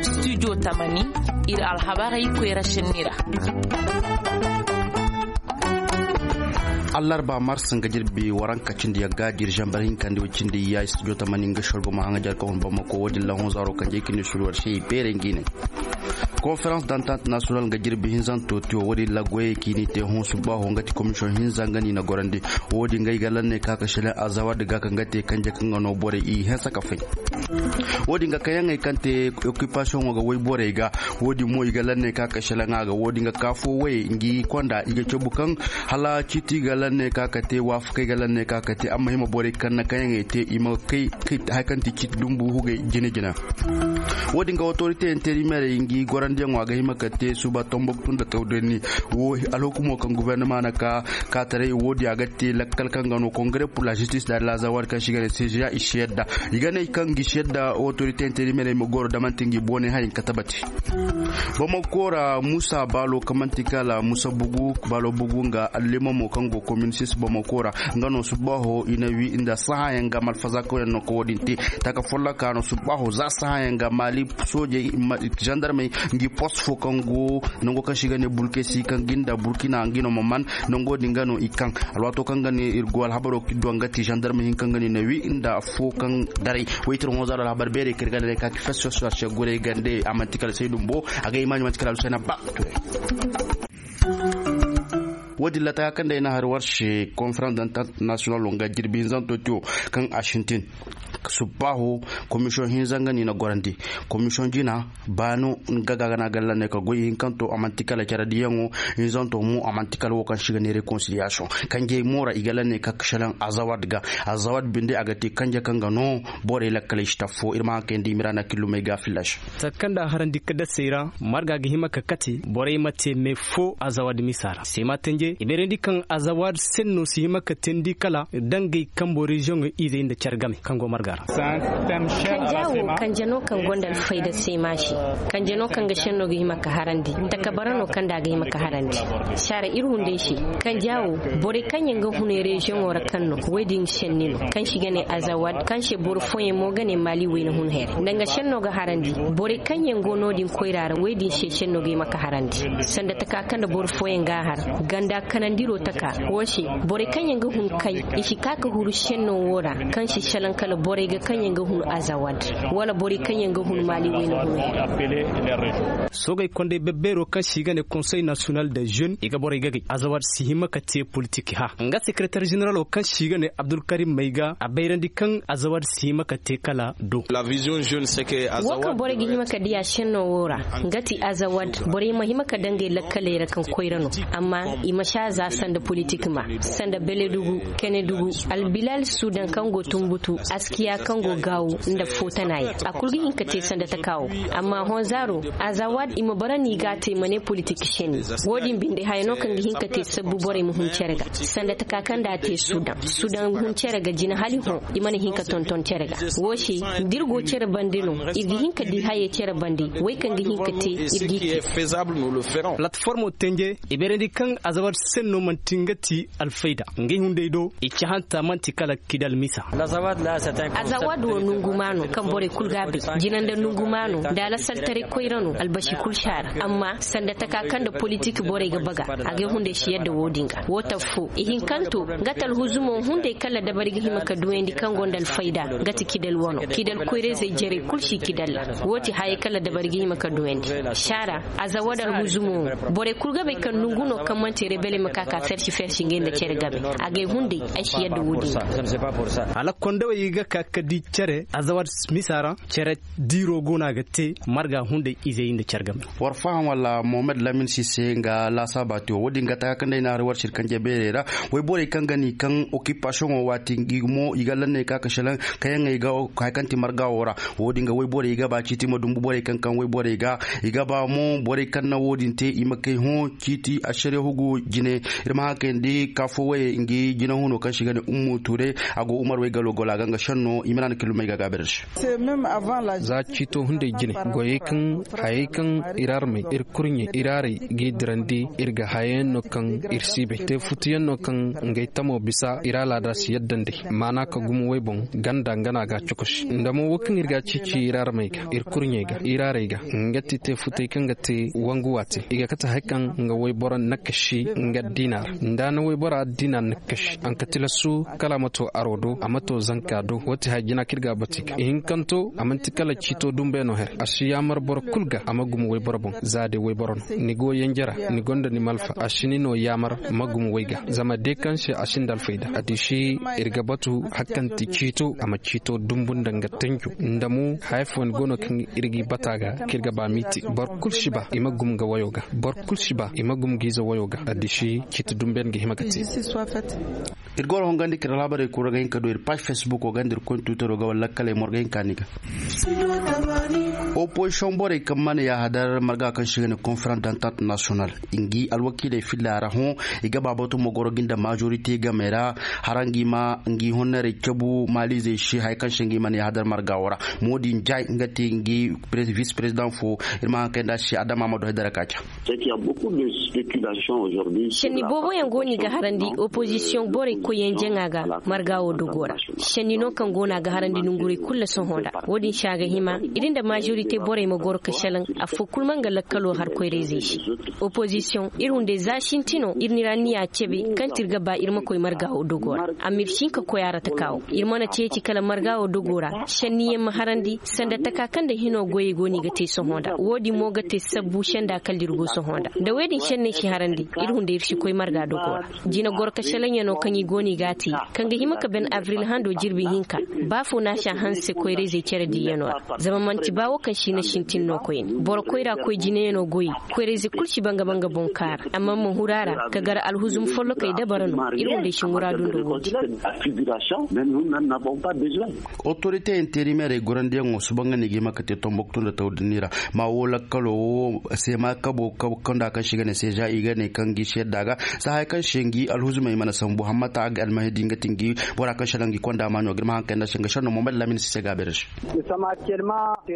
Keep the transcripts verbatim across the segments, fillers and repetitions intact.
Studio tamani, iri alhabarey koyra senni ra. Allarba mars nga jirbi waranka cindi yagga diri zambar hinka nda way cindi ya studio tamani nga sorgo ma hanga jarka hun bamako wo din lahon zaro kanje kini surwar se beere ngi ne. Conférence d'entente nationale nga jirbi hinzanto tiyo wo din lagoye kini te hon subba ho nga ti commission hinza nga ni na gorandi. Wo din nga i ga lanne ka ka shelen azawad ga ka nga te kanje ka nga no borey i hensa ka fay. Wo din ga kayaŋey kaŋ te occupation wo ga wayborey ga. Wo din mo i ga lanne ka ka shelen a ga wo din ga ka fo way ngi konda i ga cabu kaŋ hala ciiti ga lanne ka ka te waafakey ga lanne ka ka te amma hima borey kaŋ na kayaŋey te i ma kay kay. Hay kaŋ ti ciiti dumbu hugay jina jina. Wo din ga autorité intérimaire ngi gorandiyaŋo a ga hima ka te suba tombok tun da tawdanni. Wo alhukumo kaŋ gouvernement na ka ka taray wo din a ga te lakkal kaŋ ga no congrès pour la justice da lazawar kaŋ si ga ne seja i si yadda. I ga ne kaŋ gi si yadda autorité intérimaire ma goro da manti ngi bone hayin ka tabati. Bamako ra musa baalo kaŋ manti kala musa bugu baalo bugu nga allimamo kaŋ go kominsis bamako ra. Nga no subbaho i na wi nda sahayaŋ ga malfaza kaŋ yaŋ no ka wo- din te taka folloka no subbaho za sahayaŋ ga mali soojey, zandarmey ngi post fo kaŋ go nango kaŋ si ga ne burkesi kaŋ ginda burkina ngi no ma man. Nango din ga no i kaŋ alwaato kaŋ ga ne iri go alhabaro kido nga ti zandarmey hinka nga ne na wi nda fo kaŋ daray. Waytir honzaro alhabar beerey kaŋ iri ga ne ka ki fesso sarse gorey gande a manti kala say dumbo. A ga imaani manti kala alusena ba. Wo- din lata kaŋ day na hari warse conférence d'entente nationale nga jirbi hinzanto tiyo kaŋ a sintin. Subbaho commission hinza nga ni na gorandi commission jina baano nga ga gana galla ne ka goy hinkanto a manti kala care diyaŋo. Hinzanto mo a manti kala wo kaŋ si ga ne réconciliation kanjey mo ra i ga lanne ka kasalan azawad ga. Azawad binde a ga te kanje kaŋ ga no borey lakkaley si taffo iri ma haŋ kayndi i ma ra na killumey ga fillash. Takkanda harandi ka dasey ra marga ga hima ka kate borey ma te me fo azawad misa ra sema tanje i beerandi kaŋ azawad senno si hima ka teendi kala dangey kambo reziyoŋey izey nda care game kaŋ go marga ra. Kanja wo kanja no kaŋ gonda alfayda sema se. Kanja no kaŋ ga senno ga hima ka harandi takabara no kaŋ da a ga hima ka harandi. Saara iri hunday se kanja wo borey kaŋ yaŋ ga hunay reziyoŋo ra kaŋ no woy din senni no kaŋ si ga ne azawad kaŋ se boro fooyaŋ mo ga ne maali wayna hun here danga senno ga harandi. Borey kaŋ yaŋ go no- din koyra ra woy din se senno ga hima ka harandi sanda taka kaŋ da boro fooyaŋ ga a har ganda kanandiro taka wo se borey kaŋ yaŋ ga hun kay i si ka ka huru senno wo ra kaŋ si salaŋ kala borey ga kaŋ yaŋ ga hun azawad wala borey kaŋ yaŋ ga hun maali wayna hun. Soogey kondey bebbeero kaŋ si ga ne konsey nasiyonal de jeune i ga borey gagay azawad si hima ka te politik ha nga sekretar zeneralo kaŋ si ga ne abdulkarim mayga a bayrandi kaŋ azawad si hima ka te kala do. Wo kaŋ borey ga hima ka diya senno wo ra nga ti azawad borey ma hima ka dangay lakkaley ra kaŋ koyra no amma i ma si a za sanda politik ma sanda beledugu kenedugu albilal sudan kaŋ go tumbutu askiya kaŋ go gaawu nda footanaayaŋ a kulu ga hin ka te sanda taka wo. Amma honzaaro azawad i ma bara no i ga a te i ma ne politik senni. Wo- din binde haya no kaŋ ga hin ka te sabbu borey ma hun care ga sanda taka kaŋ da a te sudan sudan hun care ga jina hala i hõ i mana hin ka tonton care ga. Wo se da iri go care bande no iri ga hin ka di hayey care bande way kaŋ ga hin ka te iri g'i te. Platformo tenje i beerandi kaŋ azabar senno manti nga ti alfayda ngey hunday do i cahanta manti kala kidal misa. Azawad wo nungu ma no kaŋ borey kulu ga a bay jina nda nungu ma no da alasartaray koyra no albasi kulu si a ra amma sanda taka kaŋ nda politik borey ga baga a ga ay hunday si yadda wo- din ga wo taffo ihinkanto nga ti alhuzumo hunday kala dabari ga hima ka duwayandi kaŋ gonda alfayda nga ti kidal wano kidal koyrayzey jarey kulu si kidal ra wo ti hayey kala dabari ga hima ka duwayandi. Saara aza wada alhuzumo wo borey kulu ga bay kaŋ nungu no kaŋ manti rebele ma ka ka fersi fersi ngey nda care game a ga ay hunday ay si yadda wo- din ga. Hala kondawey ga ka ka di care aza wada misa ra care diiro go no a ga te marga hunday izey nda care game. War faham wala mohamed lamin sise nga lasaaba te wo- din ga taka kaŋ day na hari war sirkanje beerey ra wayborey kaŋ ga ni kaŋ occupation wo waati i ga lanney ka ka selaŋ kaŋ yaŋ ay ga hari kaŋ ti marga wo ra. Wo- din ga wayborey i ga ba ciiti ma dumbu borey kaŋ kaŋ wayborey ga i ga ba mo borey kaŋ na wo- din te i ma kay hõ ciiti asariya hugu. Jine iri ma haŋ kayandi kaafo waye ngi jine huno kaŋ se i ga ne ummu ture. A go umar way galo gola ga nga senno i ma naana kilomay ga gaabirarse. Za ciito hunday jine goyey kaŋ hayey kaŋ iri armey iri kurɲey iri arey g'i dirandi iri ga hayayaŋ no kaŋ iri si bay te futuyaŋ no kaŋ ngey tamo bisa iri alaada si yadda nd'ey maana ka gumo way boŋ ganda nga no a ga a cokosi nda mo wo kaŋ iri ga a ciici iri armey ga iri kurɲey ga iri arey ga nga ti te futey kaŋ ga te wangu waate i ga kate hari kaŋ nga wayboro nakasi nga diina ra nda ni waybora diina nakasi a ma ka tilasu kala a ma to aro do a ma to zanka do wo ti hari jina kaŋ iri ga a batu i ga ihinkanto a manti kala ciito dumbe no here a si yaamar boro kulu ga a ma gumo wayboro boŋ za day wayboro no ni go yanjara ni gonda ni malfa a si ni no yaamar ma gumo way ga zama day kaŋ se a sinda alfayda a di si iri ga batu hari kaŋ ti ciito a ma ciito dumbu nda nga tanjo nda mo haya fooyaŋ go no kaŋ iri g'i bata ga kaŋ iri ga ba m'i te boro kulu si ba i ma gumo ga wayo ga boro kulu si ba i ma gumo ga ize wayo ga a di si ciiti dumbe yaŋ ga hima ga te. Iri go ra hongandi kira laabarey kura ga hin ka du iri paazi facebook wo ganda iri koy ni tuutaro ga wala lakkaley mo iri ga hin ka ni ga. Opozisiyoŋ borey kaŋ mana yaahadar marga kaŋ se i ga ne konferans dantant national i ngi alwakiiley filla ra hõ i ga baabatu mo goro ga nda majorite game ra hara ngi ma ngi honnerey cabu maaliizey se haya kaŋ se ngi mana yaahadar marga wo ra. Mo din jay nga te ngi vis president fo. Iri ma haŋ kay nda se adama ma du hay dara ka ca. Senni boobo yaŋ go no i ga harandi opozisiyoŋ borey koyyaŋ jaŋa ga marga wo dogo ra. Senni no kaŋ go no a ga harandi nongurey kulu sohõ nda wo- din se a ga hima iri nda majorite borey ma goro ka salaŋ. Afo kulu ma nga lakkalo har koyra-izey se. Opozisiyoŋ iri hunday za sinti no iri n'iri anniya cabe kaŋ ti iri ga ba iri ma koy marga wo dogo ra. Amma iri si hin ka koy a ra taka wo iri mana ceeci kala marga wo dogo ra senni yaŋ ma harandi sanda taka kaŋ nda hino goyey go no i ga te sohõ nda wo- din mo ga te sabbu senda kala da iri go sohõ nda da wo- din senney si harandi iri hunday iri si koy marga dogo ra. Jina goro ka salaŋ yaŋo kaŋ i go no i ga a te kaŋ ga hima ka ban abril hando jirbi hinka ba fo no a si a hanse koyra-izey care diiyaŋo ra. Zama manti ba wo kaŋ si na sintin no koyne boro koyra koy jinayaŋo goy koyra-ize kulu si ba nga ba nga boŋ kaara amma ma huru a ra ka gar alhuzum follokey dabara no iri hunday si muraadu nda wo- din. Otorite interimeerey gorandiyaŋo suba nga no i ga hima ka te tomboktu nda tawdani ra ma wo lakkalo wo seema kabo kabo kaŋ da kaŋ se i ga ne seeza i ga ne kaŋ ga i se yadda ga. Za haya kaŋ se ngi alhuzumey mana sambu hammata a ga almahidi nga ti ngi bora kaŋ se naŋ ga i konda maaɲo ga iri ma haŋ kay nda se nga senno mo mali laamina si se ga a beere se.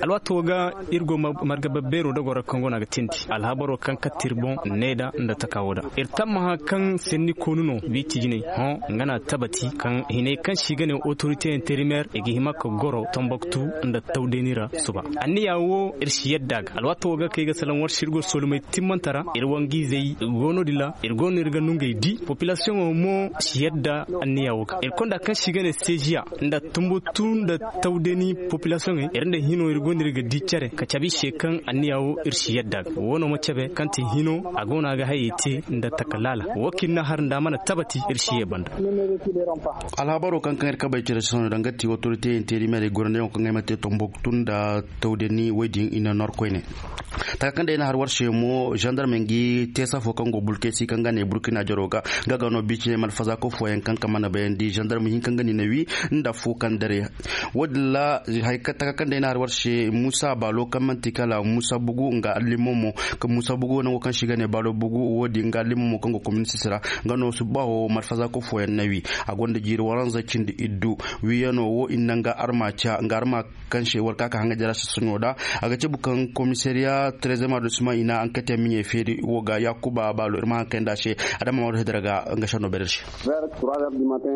Alwaato ga iri go marga babbeero da goro kaŋ go no a ga tindi alhabaro kaŋ katta iri boŋ ne da nda taka wo da iri tammaha kaŋ senni koonu no biiti jinay hõ nga no a tabati kaŋ hinay kaŋ se i ga ne otorite interimeer i ga hima ka goro tomboktu nda tawdeeni ra suba. Anniya wo iri si yadda ga alwaato wo ga kay ga salaŋ war se iri go solomey timmante ra iri wangu-izey go no- din ra iri go no iri ga nungey di popilasiyoŋo mo si yadda anniya wo ga iri konda kaŋ se i ga ne seeziya nda tumbutu nda tawdeeni popilasiyoŋey iri nda hino iri go no iri ga di care ka cabe i se kaŋ anniya wo iri si yadda ga wo no ma cabe kaŋ ti hino a go no a ga hayey te nda taka laala wo kaŋ iri na har nda a mana tabati iri si ye banda. Alhabaro kaŋ kaŋ iri kabey cire se sohõ danga ti otorite interimeerey gorandiyaŋo kaŋ ay ma te tomboktu nda tawdani wo- din i na nor koyne. Taka kaŋ day i na har war se mo zandarmey ngi teesa fo kaŋ go bulkesi kaŋ ga ne burkina jaro ga nga ga no biiciney malfazaako fooyaŋ kaŋ ka mana bayandi zandarm hinka nga no i na wi nda fo kaŋ dare. Wo- din ra taka kaŋ day i na har war se muusa baalo kaŋ manti kala muusa bugu nga allimamo muusa bugu nango kaŋ se i ga ne baalo bugu wo- din nga allimamo kaŋ go kominisisi ra nga no subbaaho malfazaako fooyaŋ na wi. A gonda jiiri waranza cindi iddu wiyaŋo wo i na naŋ ga arma ca nga arma kaŋ se war ka ka haŋa jara sasaɲo da. A ga cabu kaŋ komisariya trezem adosima i na ankate miɲey feeri wo ga yakuba baalo iri ma haŋ kay nda a se. Adama maro hedara ga nga sanno beere se.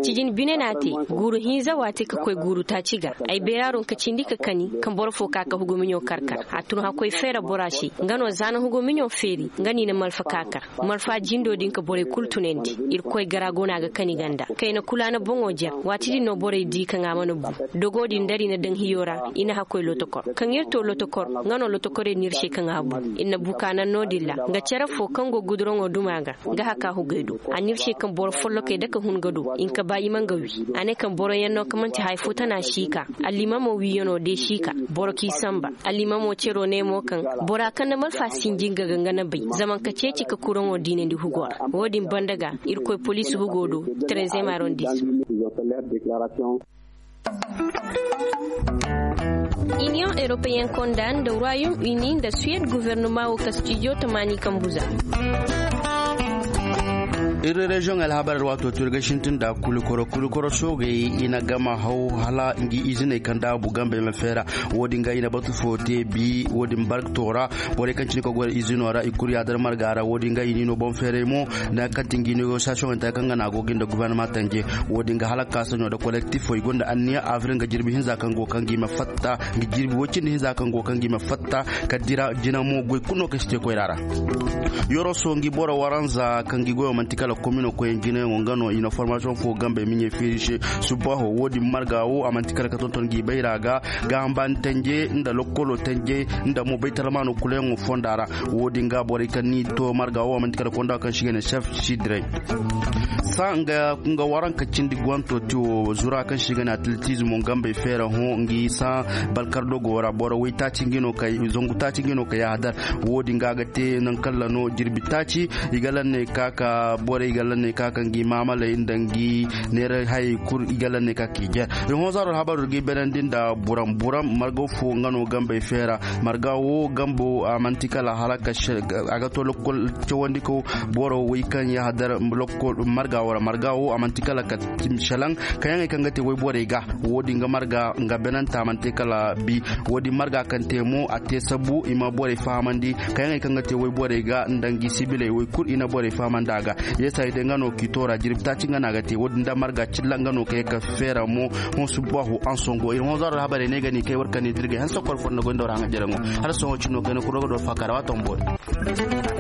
Cijin bine no a te guuru hinza waati ka koy guuru taaci ga ay beeraaru nga ka cindi ka kani kaŋ boro fo ka ka hugumiɲo kar kar a tun hakkoy feera bora se. Nga no za na hugumiɲo feeri nga no i na malfa ka kar malfa jindo din ka borey kulu tunandi. Irkoy gara go no a ga kani ganda kayna kulu a na boŋo jer waati din no borey di kaŋ a mana bu. Dogo din dari na daŋ hiyo ra i na hakkoy lotokor kaŋ iri to lotokor nga no lotokorey no iri se kaŋ a bu. Iri na bu ka naŋ no- din ra nga care fo kaŋ go guduraŋo duma ga nga haka hugay do. A n'iri se kaŋ boro follokey dake hun ga do i na ka ba i ma nga wi. A ne kaŋ boroyaŋ no kaŋ manti hari fo tana si ka allimamo wiyaŋo de si ka boro k'i samba. Allimamo cero ne mo kaŋ bora kaŋ na malfa sinji nga ga nga na bay zama nga ka ceeci ka kuraŋo diinandi hugo ra. Wo- din banda ga irkoy poliisi hugo do. Trezem arrondissement. Iniyoŋ europeyenne konda nda royaume uni nda suwed guvernema wo ka studio tamaani kambu za. Iri reziyoŋ alhabar ra waato to iri ga sintin da kulikoro kulikoro soogey i na gama haw hala ngi iziney kaŋ daabu gambey ma feera. Wo- din ga i na batu fo te bi wo- din barkto ra. Borey kaŋ cine ka goy izino ra i kulu yaadar marga ra wo- din ga i niino boŋ feeray mo. Nangu kaŋ ti ngi negosiyasiyoŋey ta kaŋ ga na a go ga nda gubarnama tanje. Wo- din ga hala kaasaɲo nda kolektifo i gonda anniya abril nga jirbi hinza kaŋ go kaŋ ga i ma fatta nga jirbi wo- cindi hinza kaŋ go kaŋ ga i ma fatta. Ka dira jina mo goy kulu no kaŋ si te koyra ra. Yoroso ngi boro waranza kaŋ gi goyo manti kala komino koy jinayaŋo nga no i na formasiyoŋ fo gambey miɲey feeri se. Subaho wo- din marga wo a manti kala ka tonton gi bayra ga. Ga hambani tanje nda lokkolo tanje nda mo baytalmaano kulayaŋo fonda ra. Wo- din ga borey kaŋ ni to marga wo a manti kala konda kaŋ si ga ne chef sidrey. Sa nga waranka cindi gwanto ti wo zura kaŋ si ga ne atletismo gambey feera hõ ngi sa balkardogo ra boro way taaci ngi no kay zangu taaci ngi no kay yahadar. Wo- din ga ga te nangu kaŋ ra no jirbi taaci i ga lanney ka ka borey ga lanney ka ka ngi maamaley nda ngi neera hayey kulu i ga lanney ka ka i jer. I hõ zaaro alhabaru ga i beerandi nda buram buram marga fo nga no gambey feera. Marga wo gambo a manti kala hala ka a ga to lokol cawandi kaw boro way kaŋ yahadar lokol marga wo ra marga wo a manti kala ka tim shalaŋ kayaŋey kaŋ ga te wayborey ga. Wo- din ga marga nga benanta mana te kala bi. Wo- din marga kaŋ te mo a te sabu i ma borey fahamandi kayaŋey kaŋ ga te wayborey ga nda ngi sibiley way kulu i na borey fahamandi a ga. Yeesa i day nga no k'i toora jirbi taaci nga no a ga te wo- din da marga cilla nga no ka ye ka feera mo. Hõ subahu ansongo iri hõ zaaro alhabarey ne ga ni kay war kaŋ ni dirgay hanse kor fondo goy nda war haŋa jaraŋo. Hala sohõ cino kayna kuro ga do faakara waato ma boori.